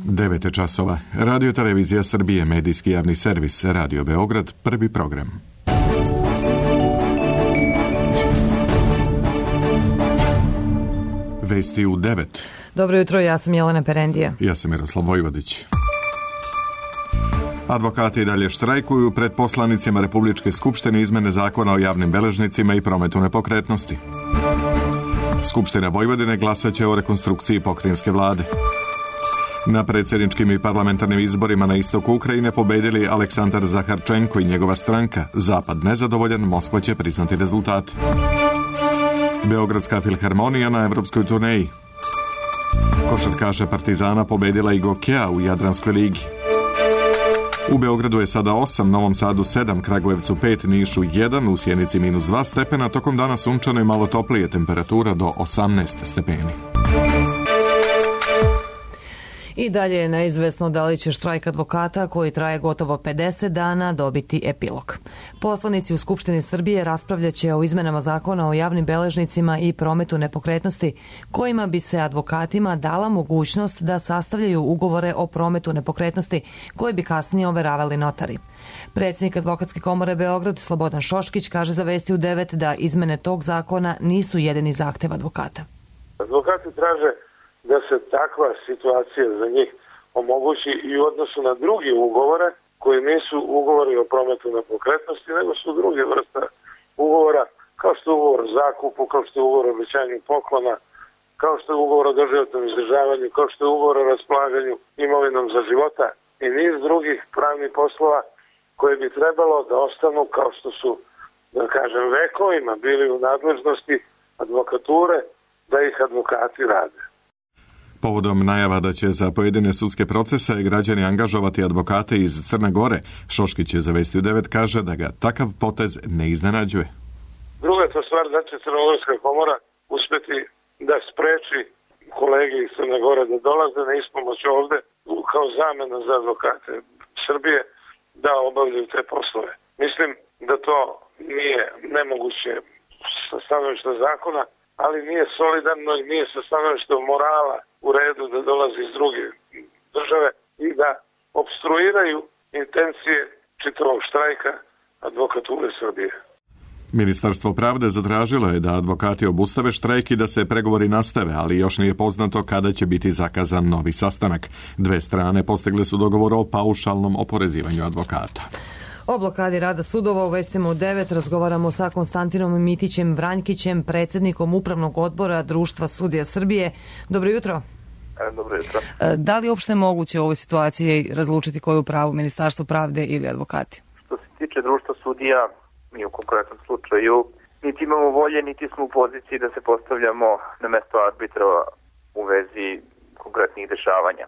9 časova. Radio Televizija Srbije, medijski javni servis, Radio Beograd, prvi program. Vesti u 9. Dobro jutro, ja sam Jelena Perendija. Ja sam Miroslav Vojvodić. Advokati dalje štrajkuju pred poslanicima Republičke skupštine izmene zakona o javnim beležnicima i prometu nepokretnosti. Skupština Vojvodine glasaće o rekonstrukciji pokrajinske vlade. Na predsjedničkim i parlamentarnim izborima na istoku Ukrajine pobedili Aleksandar Zaharčenko i njegova stranka. Zapad nezadovoljan, Moskva će priznati rezultate. Beogradska filharmonija na evropskoj turneji. Košarkaša Partizana pobedila i Gokea u Jadranskoj ligi. U Beogradu je sada 8, Novom Sadu 7, Kragujevcu 5, Nišu 1, u Sjenici -2 stepena, tokom dana sunčano i malo toplije, temperatura do 18 stepeni. I dalje je neizvesno da li će štrajk advokata, koji traje gotovo 50 dana, dobiti epilog. Poslanici u Skupštini Srbije raspravljaće o izmenama zakona o javnim beležnicima i prometu nepokretnosti, kojima bi se advokatima dala mogućnost da sastavljaju ugovore o prometu nepokretnosti koje bi kasnije overavali notari. Predsjednik Advokatske komore Beograd, Slobodan Šoškić, kaže za Vesti u 9 da izmene tog zakona nisu jedini zahtev advokata. Advokati traže da se takva situacija za njih omogući i u odnosu na druge ugovore koji nisu ugovori o prometu nepokretnosti, nego su druge vrste ugovora, kao što je ugovor o zakupu, kao što je ugovor o obećanju poklona, kao što je ugovor o doživotnom izdržavanju, kao što je ugovor o raspolaganju imovinom za života i niz drugih pravnih poslova koje bi trebalo da ostanu kao što su, da kažem, vekovima bili u nadležnosti advokature, da ih advokati rade. Povodom najava da će za pojedine sudske procese građani angažovati advokate iz Crne Gore, Šoškić je za Vesti u 9 kaže da ga takav potez ne iznenađuje. Druga je to stvar da će Crnogorska komora uspjeti da spreči kolege iz Crne Gore da dolaze na ispomoć ovde kao zamena za advokate Srbije da obavljaju te poslove. Mislim da to nije nemoguće sa stanovišta zakona, ali nije solidarno i nije sa stanovišta morala u redu da dolazi iz druge države i da opstruiraju intencije čitavog štrajka advokature Srbije. Ministarstvo pravde zatražilo je da advokati obustave štrajk i da se pregovori nastave, ali još nije poznato kada će biti zakazan novi sastanak. Dve strane postigle su dogovor o paušalnom oporezivanju advokata. O blokadi rada sudova u Vestima u 9 razgovaramo sa Konstantinom Mitićem Vranjkićem, predsjednikom Upravnog odbora Društva sudija Srbije. Dobro jutro. Dobro jutro. Da li je uopšte moguće u ovoj situaciji razlučiti koju pravu, Ministarstvo pravde ili advokati? Što se tiče Društva sudija, mi u konkretnom slučaju niti imamo volje, niti smo u poziciji da se postavljamo na mesto arbitra u vezi konkretnih dešavanja.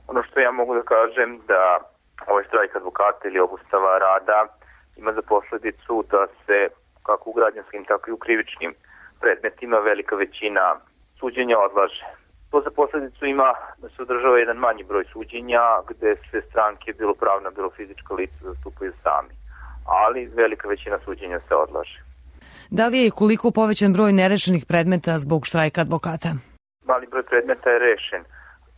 Ono što ja mogu da kažem da ovaj štrajk advokata ili obustava rada ima za posledicu da se kako u građanskim, tako i u krivičnim predmetima velika većina suđenja odlaže. To za posledicu ima da se održava jedan manji broj suđenja gde se stranke, bilo pravna, bilo fizička lica, zastupaju sami. Ali velika većina suđenja se odlaže. Da li je i koliko povećan broj nerešenih predmeta zbog štrajka advokata? Mali broj predmeta je rešen.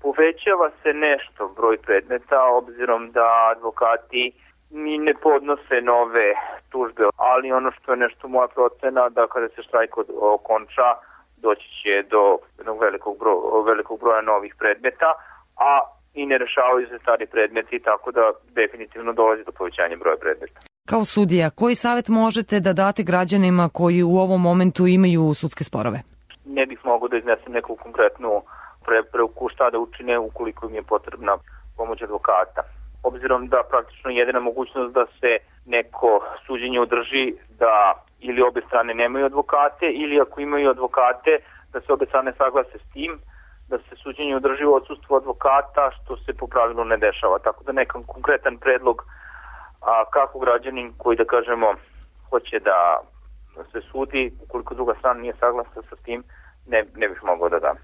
Povećava se nešto broj predmeta obzirom da advokati ni ne podnose nove tužbe, ali ono što je nešto moja procena da kada se štrajk okonča doći će do jednog velikog broja novih predmeta, a i ne rešavaju se stari predmeti, tako da definitivno dolazi do povećanja broja predmeta. Kao sudija, koji savjet možete da date građanima koji u ovom momentu imaju sudske sporove? Ne bih mogao da iznesem neku konkretnu preporuku šta da učine ukoliko im je potrebna pomoć advokata. Obzirom da praktično jedina mogućnost da se neko suđenje održi da ili obe strane nemaju advokate ili ako imaju advokate da se obe strane saglase s tim da se suđenje održi u odsustvu advokata, što se po pravilu ne dešava. Tako da nekam konkretan predlog kako građanin koji da kažemo hoće da se sudi, ukoliko druga strana nije saglasna sa tim, ne bih mogao da dam.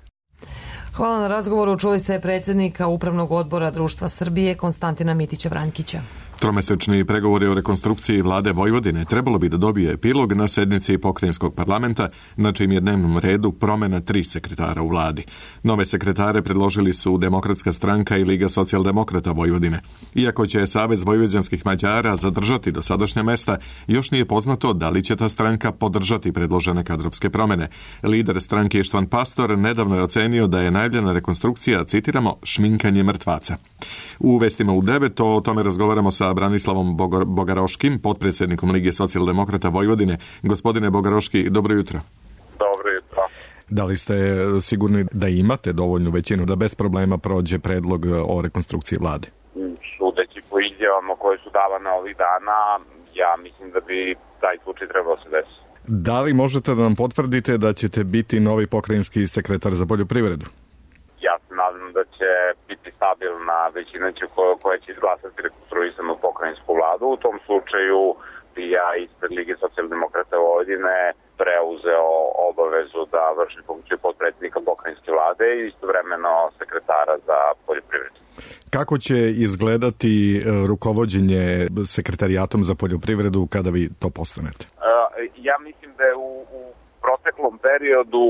Hvala na razgovoru. Čuli ste predsjednika Upravnog odbora Društva Srbije Konstantina Mitića Vranjkića. Tromesečni pregovori o rekonstrukciji vlade Vojvodine trebalo bi da dobije epilog na sednici pokrajinskog parlamenta, na čim je dnevnom redu promena 3 sekretara u vladi. Nove sekretare predložili su Demokratska stranka i Liga socijaldemokrata Vojvodine. Iako će Savez vojvođanskih Mađara zadržati dosadašnja mesta, još nije poznato da li će ta stranka podržati predložene kadrovske promene. Lider stranke Ištvan Pastor nedavno je ocenio da je najavljena rekonstrukcija, citiramo, šminkanje mrtvaca. U vestima u 9 o tome razgovaramo sa Branislavom Bogaroškim, potpredsjednikom Lige socijaldemokrata Vojvodine. Gospodine Bogaroški, dobro jutro. Dobro jutro. Da li ste sigurni da imate dovoljnu većinu da bez problema prođe predlog o rekonstrukciji vlade? Sudeći po izjavama koje su davane ovih dana, ja mislim da bi taj slučaj trebao se desiti. Da li možete da nam potvrdite da ćete biti novi pokrajinski sekretar za poljoprivredu? Ja se nadam da će biti stabilna većina koja će izglasati rekonstruisanu pokrajinsku vladu. U tom slučaju bi ja ispred Lige socijaldemokrata Vojvodine preuzeo obavezu da vršim funkciju potpredsjednika pokrajinske vlade i istovremeno sekretara za poljoprivredu. Kako će izgledati rukovođenje sekretarijatom za poljoprivredu kada vi to postanete? Ja mislim da je u proteklom periodu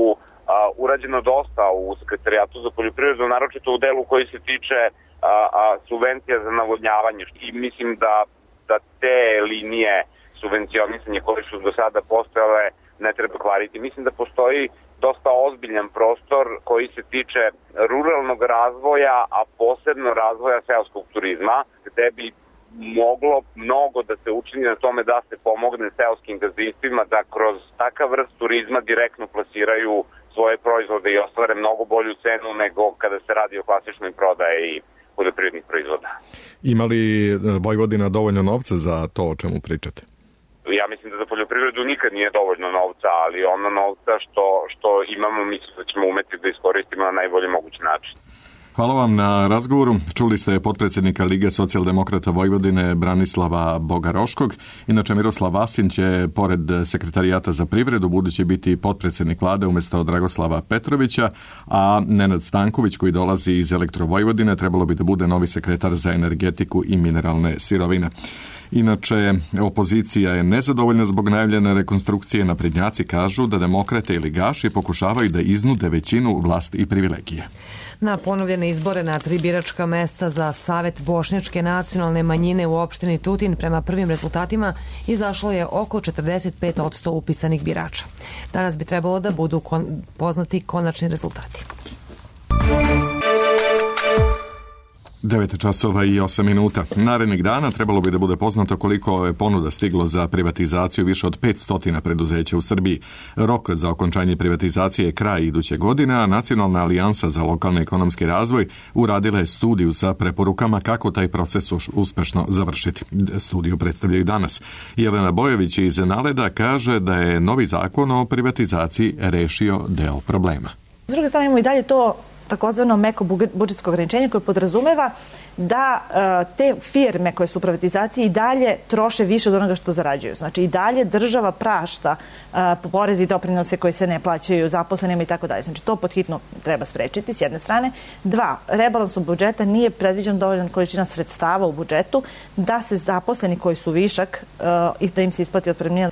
urađeno dosta u sekretarijatu za poljoprivredu, naročito u delu koji se tiče subvencija za navodnjavanje. I mislim da te linije subvencionisanja koje su do sada postojale ne treba kvariti. Mislim da postoji dosta ozbiljan prostor koji se tiče ruralnog razvoja, a posebno razvoja seoskog turizma, gde bi moglo mnogo da se učini na tome da se pomogne seoskim gazdinstvima da kroz takav vrst turizma direktno plasiraju svoje proizvode i ostvare mnogo bolju cenu nego kada se radi o klasičnoj prodaji poljoprivrednih proizvoda. Ima li Vojvodina dovoljno novca za to o čemu pričate? Ja mislim da za poljoprivredu nikad nije dovoljno novca, ali ono novca što imamo, mislim da ćemo umeti da iskoristimo na najbolji mogući način. Hvala vam na razgovoru. Čuli ste potpredsjednika Lige socijaldemokrata Vojvodine Branislava Bogaroškog. Inače, Miroslav Vasin će, pored sekretarijata za privredu, budući biti potpredsjednik vlade umjesto Dragoslava Petrovića, a Nenad Stanković, koji dolazi iz Elektrovojvodine, trebalo bi da bude novi sekretar za energetiku i mineralne sirovine. Inače, opozicija je nezadovoljna zbog najavljene rekonstrukcije. Naprednjaci kažu da demokrate i ligaši pokušavaju da iznude većinu, vlast i privilegije. Na ponovljene izbore na 3 biračka mesta za Savet bošnjačke nacionalne manjine u opštini Tutin prema prvim rezultatima izašlo je oko 45% upisanih birača. Danas bi trebalo da budu poznati konačni rezultati. 9:08. Narednih dana trebalo bi da bude poznato koliko je ponuda stiglo za privatizaciju više od 500 preduzeća u Srbiji. Rok za okončanje privatizacije je kraj iduće godine, a Nacionalna alijansa za lokalni ekonomski razvoj uradila je studiju sa preporukama kako taj proces uspešno završiti. Studiju predstavljaju danas. Jelena Bojović iz Naleda kaže da je novi zakon o privatizaciji rešio deo problema. S druge strane imamo i dalje to takozvano meko budžetsko ograničenje koje podrazumeva da te firme koje su u privatizaciji i dalje troše više od onoga što zarađuju. Znači i dalje država prašta porezi i doprinose koji se ne plaćaju zaposlenima i tako dalje. Znači to podhitno treba sprečiti s jedne strane. 2. Rebalansom budžeta nije predviđen dovoljan količina sredstava u budžetu da se zaposleni koji su višak i da im se isplati otpremnina.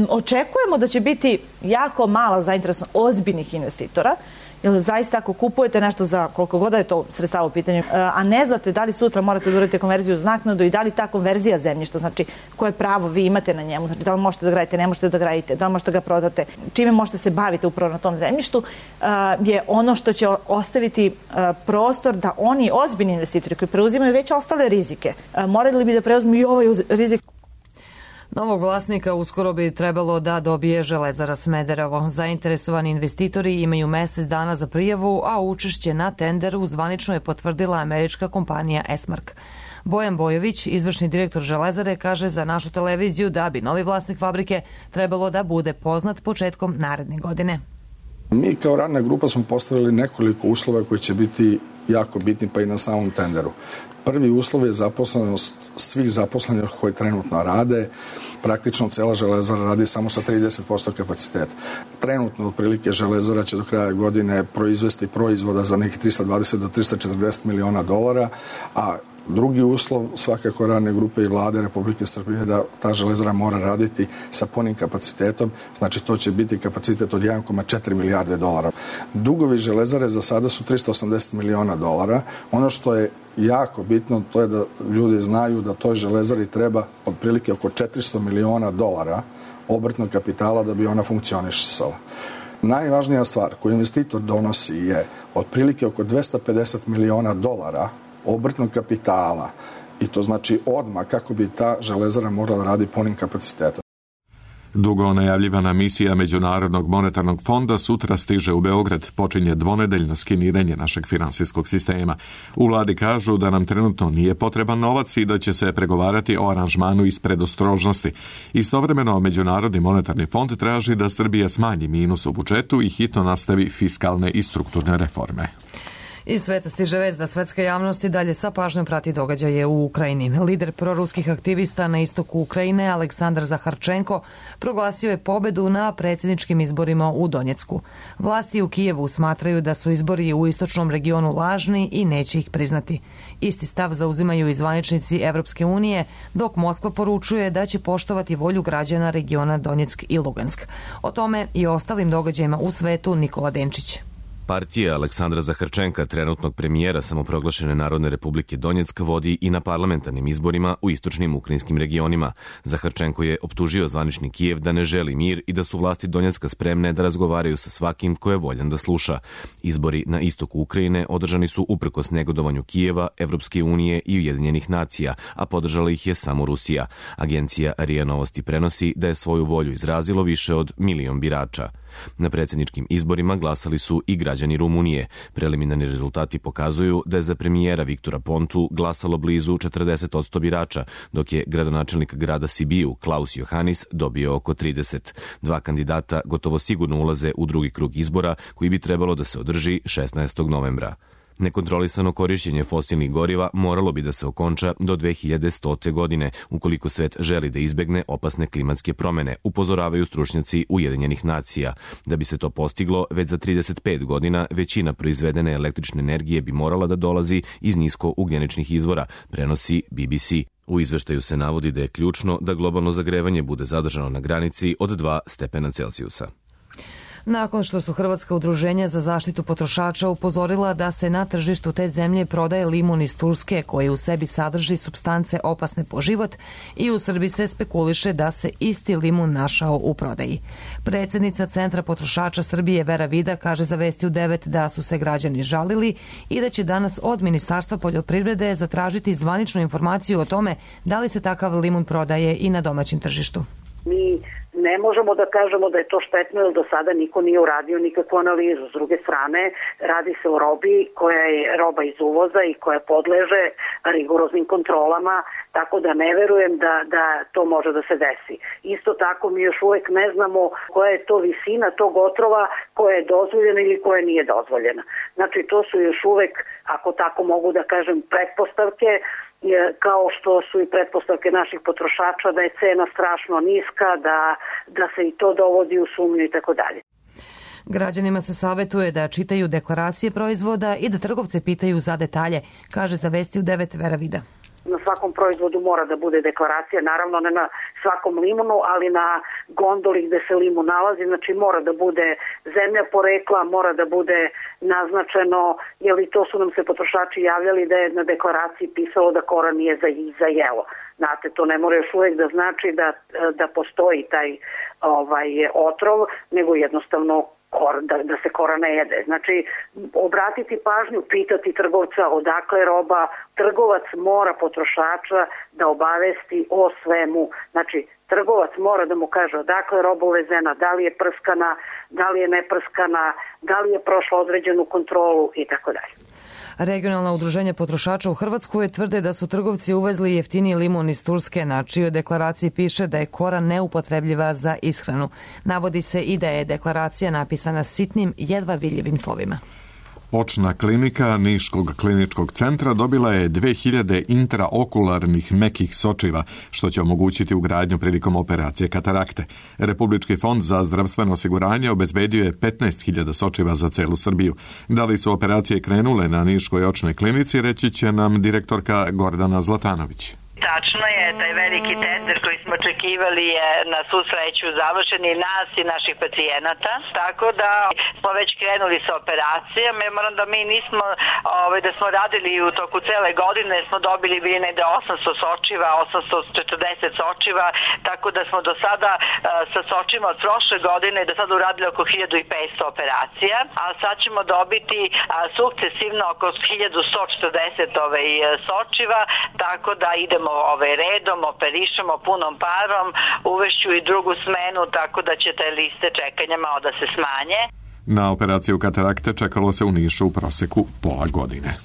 Očekujemo da će biti jako mala zainteresovanost ozbiljnih investitora, jer zaista ako kupujete nešto za koliko god je to sredstava u pitanju, a ne znate da li sutra morate da uradite konverziju uz naknadu i da li ta konverzija zemljišta, znači koje pravo vi imate na njemu, znači da li možete da gradite, ne možete da gradite, da li možete da ga prodate, čime možete se baviti upravo na tom zemljištu, je ono što će ostaviti prostor da oni ozbiljni investitori koji preuzimaju već ostale rizike, morali bi da preuzmu i ovaj rizik. Novog vlasnika uskoro bi trebalo da dobije Železara Smederevo. Zainteresovani investitori imaju mesec dana za prijavu, a učešće na tenderu zvanično je potvrdila američka kompanija Esmark. Bojan Bojović, izvršni direktor Železare, kaže za našu televiziju da bi novi vlasnik fabrike trebalo da bude poznat početkom naredne godine. Mi kao radna grupa smo postavili nekoliko uslova koji će biti jako bitni pa i na samom tenderu. Prvi uslov je zaposlenost svih zaposlenih koji trenutno rade. Praktično cela Železara radi samo sa 30% kapaciteta. Trenutno otprilike Železara će do kraja godine proizvesti proizvoda za neki 320 do 340 miliona dolara, a Drugi uslov svakako radne grupe i vlade Republike Srbije je da ta železara mora raditi sa punim kapacitetom, znači to će biti kapacitet od 1,4 milijarde dolara. Dugovi železare za sada su 380 miliona dolara. Ono što je jako bitno to je da ljudi znaju da toj železari treba otprilike oko 400 miliona dolara obrtnog kapitala da bi ona funkcionisala. Najvažnija stvar koju investitor donosi je otprilike oko 250 miliona dolara obrtnog kapitala i to znači odmah kako bi ta železara morala radi punim kapacitetom. Dugo najavljivana misija Međunarodnog monetarnog fonda sutra stiže u Beograd. Počinje dvonedeljno skeniranje našeg finansijskog sistema. U vladi kažu da nam trenutno nije potreban novac i da će se pregovarati o aranžmanu iz predostrožnosti. Istovremeno, Međunarodni monetarni fond traži da Srbija smanji minus u budžetu i hitno nastavi fiskalne i strukturne reforme. Iz sveta stiže vest da svetska javnost i dalje sa pažnjom prati događaje u Ukrajini. Lider proruskih aktivista na istoku Ukrajine, Aleksandar Zaharčenko, proglasio je pobedu na predsjedničkim izborima u Donjecku. Vlasti u Kijevu smatraju da su izbori u istočnom regionu lažni i neće ih priznati. Isti stav zauzimaju i zvaničnici Evropske unije, dok Moskva poručuje da će poštovati volju građana regiona Donjeck i Lugansk. O tome i ostalim događajima u svetu Nikola Denčić. Partija Aleksandra Zaharčenka, trenutnog premijera samoproglašene Narodne republike Donjeck, vodi i na parlamentarnim izborima u istočnim ukrajinskim regionima. Zaharčenko je optužio zvanični Kijev da ne želi mir i da su vlasti Donjecka spremne da razgovaraju sa svakim ko je voljan da sluša. Izbori na istoku Ukrajine održani su uprkos negodovanju Kijeva, Evropske unije i Ujedinjenih nacija, a podržala ih je samo Rusija. Agencija RIA Novosti prenosi da je svoju volju izrazilo više od 1 milion birača. Na predsjedničkim izborima glasali su i građani Rumunije. Preliminarni rezultati pokazuju da je za premijera Viktora Pontu glasalo blizu 40% birača, dok je gradonačelnik grada Sibiju Klaus Johannis dobio oko 30. Dva kandidata gotovo sigurno ulaze u drugi krug izbora koji bi trebalo da se održi 16. novembra. Nekontrolisano korišćenje fosilnih goriva moralo bi da se okonča do 2100. godine, ukoliko svet želi da izbegne opasne klimatske promene, upozoravaju stručnjaci Ujedinjenih nacija. Da bi se to postiglo, već za 35 godina većina proizvedene električne energije bi morala da dolazi iz niskougljeničnih izvora, prenosi BBC. U izveštaju se navodi da je ključno da globalno zagrevanje bude zadržano na granici od 2 stepena Celzijusa. Nakon što su Hrvatska udruženja za zaštitu potrošača upozorila da se na tržištu te zemlje prodaje limun iz Turske koji u sebi sadrži supstance opasne po život i u Srbiji se spekuliše da se isti limun našao u prodaji. Predsjednica Centra potrošača Srbije Vera Vida kaže za Vesti u 9 da su se građani žalili i da će danas od Ministarstva poljoprivrede zatražiti zvaničnu informaciju o tome da li se takav limun prodaje i na domaćem tržištu. Mi ne možemo da kažemo da je to štetno jer do sada niko nije uradio nikakvu analizu. S druge strane, radi se o robi koja je roba iz uvoza i koja podleže rigoroznim kontrolama, tako da ne verujem da to može da se desi. Isto tako mi još uvek ne znamo koja je to visina tog otrova koja je dozvoljena ili koja nije dozvoljena. Znači to su još uvek, ako tako mogu da kažem, pretpostavke, kao što su i pretpostavke naših potrošača da je cena strašno niska, da se i to dovodi u sumnju i tako dalje. Građanima se savjetuje da čitaju deklaracije proizvoda i da trgovce pitaju za detalje, kaže za Vesti u 9 Vera Vida. Na svakom proizvodu mora da bude deklaracija, naravno ne na svakom limunu, ali na gondoli gde se limun nalazi, znači mora da bude zemlja porekla, mora da bude naznačeno, jer i to su nam se potrošači javljali da je na deklaraciji pisalo da koran nije za jelo. Znate, to ne mora još uvijek da znači da postoji taj otrov, nego jednostavno da se kora ne jede. Znači, obratiti pažnju, pitati trgovca odakle je roba, trgovac mora potrošača da obavesti o svemu. Znači, trgovac mora da mu kaže odakle je roba uvezena, da li je prskana, da li je neprskana, da li je prošla određenu kontrolu i tako dalje. Regionalna udruženja potrošača u Hrvatskoj tvrde da su trgovci uvezli jeftiniji limun iz Turske, na čijoj deklaraciji piše da je kora neupotrebljiva za ishranu. Navodi se i da je deklaracija napisana sitnim, jedva vidljivim slovima. Očna klinika Niškog kliničkog centra dobila je 2000 intraokularnih mekih sočiva, što će omogućiti ugradnju prilikom operacije katarakte. Republički fond za zdravstveno osiguranje obezbedio je 15.000 sočiva za celu Srbiju. Da li su operacije krenule na Niškoj očnoj klinici, reći će nam direktorka Gordana Zlatanović. Tačno je, taj veliki tender koji smo očekivali je na svu sreću završen i nas i naših pacijenata, tako da smo već krenuli sa operacijama. Ja moram da mi nismo, da smo radili u toku cele godine, smo dobili bili negde 800 sočiva, 840 sočiva, tako da smo do sada sa sočima od prošle godine do sada uradili oko 1500 operacija, a sad ćemo dobiti sukcesivno oko 1140 sočiva, tako da idemo redom, operišemo punom parom, uvešću i drugu smenu, tako da će te liste čekanja malo da se smanje. Na operaciju katarakte čekalo se u Nišu u proseku pola godine.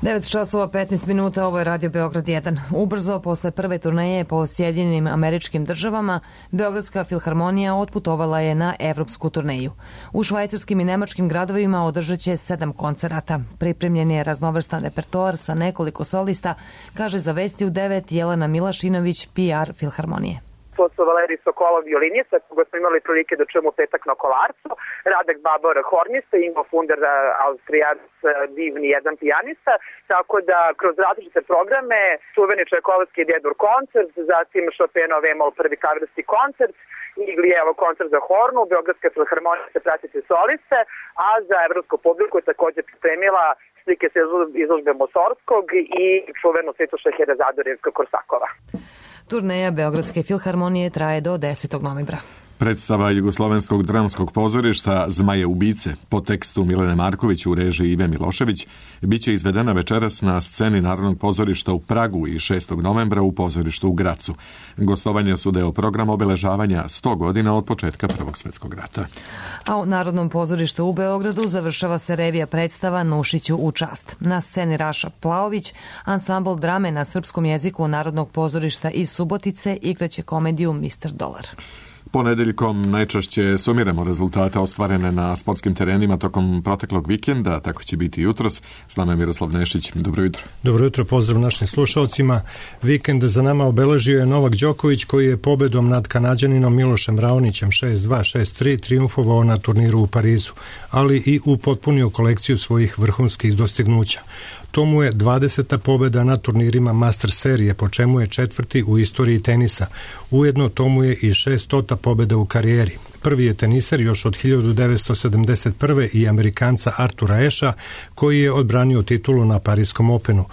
9 časova 15 minuta, ovo je Radio Beograd 1. Ubrzo, posle prve turneje po Sjedinjenim Američkim Državama, Beogradska filharmonija otputovala je na evropsku turneju. U švajcarskim i nemačkim gradovima održat će 7 koncerata. Pripremljen je raznovrstan repertoar sa nekoliko solista, kaže za Vesti u 9 Jelena Milašinović, PR filharmonije. To su Valerij Sokolov violinista, koga smo imali prilike da čujemo petak na Kolarcu, Radek Babor hornista, Ingo Funder Austrijac, divni jedan pijanista, tako da kroz različite programe, čuveni Čajkovski Djedur koncert, zatim Chopinov Emol prvi klavirski koncert, Iglijevo koncert za hornu, Beogradska filharmonija se pratiti soliste, a za evropsku publiku je također pripremila slike sa izložbe Mosorskog i čuvenu Svetoša Herazadorjevska-Korsakova. Turneja Beogradske filharmonije traje do 10. novembra. Predstava Jugoslovenskog dramskog pozorišta Zmaje ubice po tekstu Milene Marković u režiji Ive Milošević biće izvedena večeras na sceni Narodnog pozorišta u Pragu i 6. novembra u pozorištu u Gracu. Gostovanja su deo programa obeležavanja 100 godina od početka Prvog svjetskog rata. A u Narodnom pozorištu u Beogradu završava se revija predstava Nušiću u čast. Na sceni Raša Plaović, ansambl drame na srpskom jeziku Narodnog pozorišta iz Subotice igraće komediju Mr. Dolar. Ponedeljkom najčešće sumiramo rezultate ostvarene na sportskim terenima tokom proteklog vikenda, tako će biti jutros. S nama je Miroslav Nešić. Dobro jutro. Dobro jutro, pozdrav našim slušalcima. Vikend za nama obeležio je Novak Đoković, koji je pobedom nad Kanađaninom Milošem Raonićem 6-2, 6-3 triumfovao na turniru u Parizu, ali i upotpunio kolekciju svojih vrhunskih dostignuća. To mu je 20. pobjeda na turnirima Master serije, po čemu je 4. u istoriji tenisa. Ujedno to mu je i 600. pobjeda u karijeri. Prvi je teniser još od 1971. i Amerikanca Artura Asha, koji je odbranio titulu na Parijskom Openu.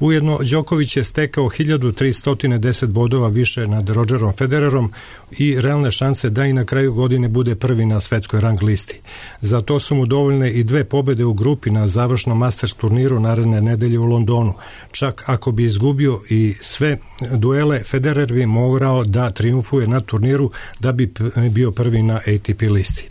Ujedno, Đoković je stekao 1310 bodova više nad Rogerom Federerom i realne šanse da i na kraju godine bude prvi na svetskoj rang listi. Za to su mu dovoljne i 2 pobjede u grupi na završnom Masters turniru naredne nedelje u Londonu. Čak ako bi izgubio i sve duele, Federer bi morao da triumfuje na turniru da bi bio prvi na ATP listi.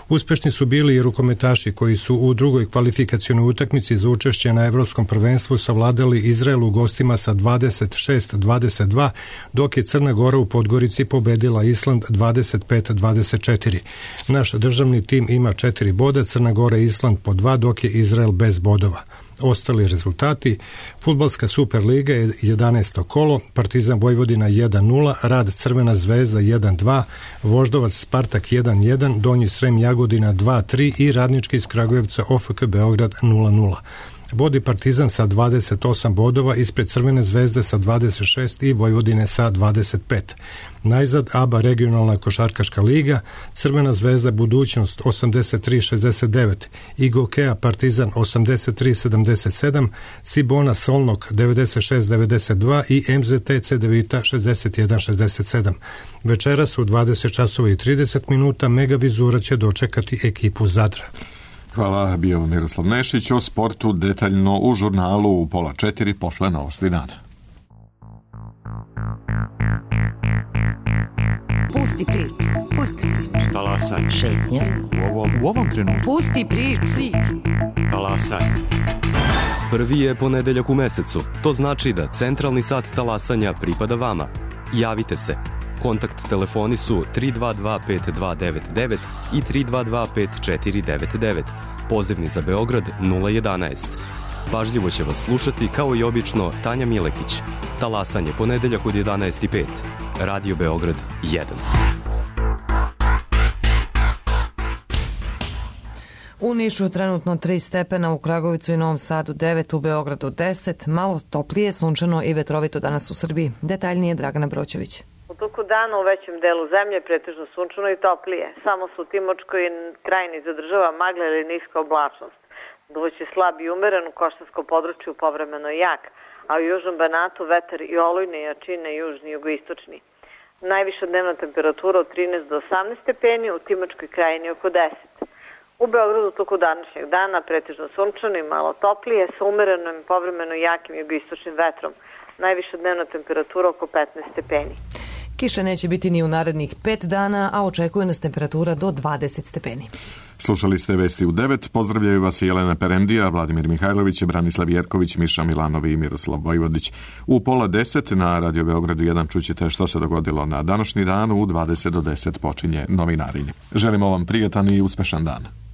Uspešni su bili i rukometaši koji su u drugoj kvalifikacionoj utakmici za učešće na Evropskom prvenstvu savladali Izrael u gostima sa 26-22, dok je Crna Gora u Podgorici pobedila Island 25-24. Naš državni tim ima 4 boda, Crna Gora i Island po 2, dok je Izrael bez bodova. Ostali rezultati: Fudbalska Superliga je 11. kolo, Partizan Vojvodina 1-0, Rad Crvena zvezda 1-2, Voždovac Spartak 1-1, Donji Srem Jagodina 2-3 i Radnički iz Kragujevca OFK Beograd 0-0. Vodi Partizan sa 28 bodova, ispred Crvene zvezde sa 26 i Vojvodine sa 25. Najzad ABA regionalna košarkaška liga, Crvena zvezda Budućnost 83-69, Igokea Partizan 83-77, Cibona Solnok 96-92 i MZT Cedevita 61-67. Večeras u 20 časova i 30 minuta Megavizura će dočekati ekipu Zadra. Hvala, bio Miroslav Nešić. O sportu detaljno u žurnalu u 3:30 posle novosti dana. Pusti priču. Pusti priču. Talasaj. Šetnja. U ovom trenutku. Pusti priču. Talasaj. Prvi je ponedeljak u mesecu. To znači da centralni sat talasanja pripada vama. Javite se. Kontakt telefoni su 322 5299 i 322 5499. Pozivni za Beograd 011. Pažljivo će vas slušati, kao i obično, Tanja Milekić. Talasanje ponedeljak od 11:05. Radio Beograd 1. U Nišu je trenutno 3 stepena, u Kragovicu i Novom Sadu 9, u Beogradu 10, malo toplije, sunčano i vetrovito danas u Srbiji. Detaljnije Dragana Broćević. U toku dana u većem delu zemlje pretežno sunčano i toplije. Samo se u Timočkoj krajini zadržava magla ili niska oblačnost. Duvaće slab i umeren u Koštarskom području, povremeno jak, a u južnom Banatu vetar i olujne jačine južni i jugoistočni. Najviša dnevna temperatura od 13 do 18 stepeni, u Timočkoj krajini oko 10. U Beogradu toku današnjeg dana pretežno sunčano i malo toplije sa umerenom i povremeno jakim jugoistočnim vetrom. Najviša dnevna temperatura oko 15 stepeni. Kiše neće biti ni u narednih 5 dana, a očekuje nas temperatura do 20 stepeni. Slušali ste Vesti u 9. Pozdravljaju vas Jelena Perendija, Vladimir Mihajlović, Branislav Jerković, Miša Milanovi i Miroslav Vojvodić. U 9:30 na Radio Beogradu 1 čućete što se dogodilo na današnji dan. U 20 do 10 počinje Novinarinje. Želimo vam prijatan i uspešan dan.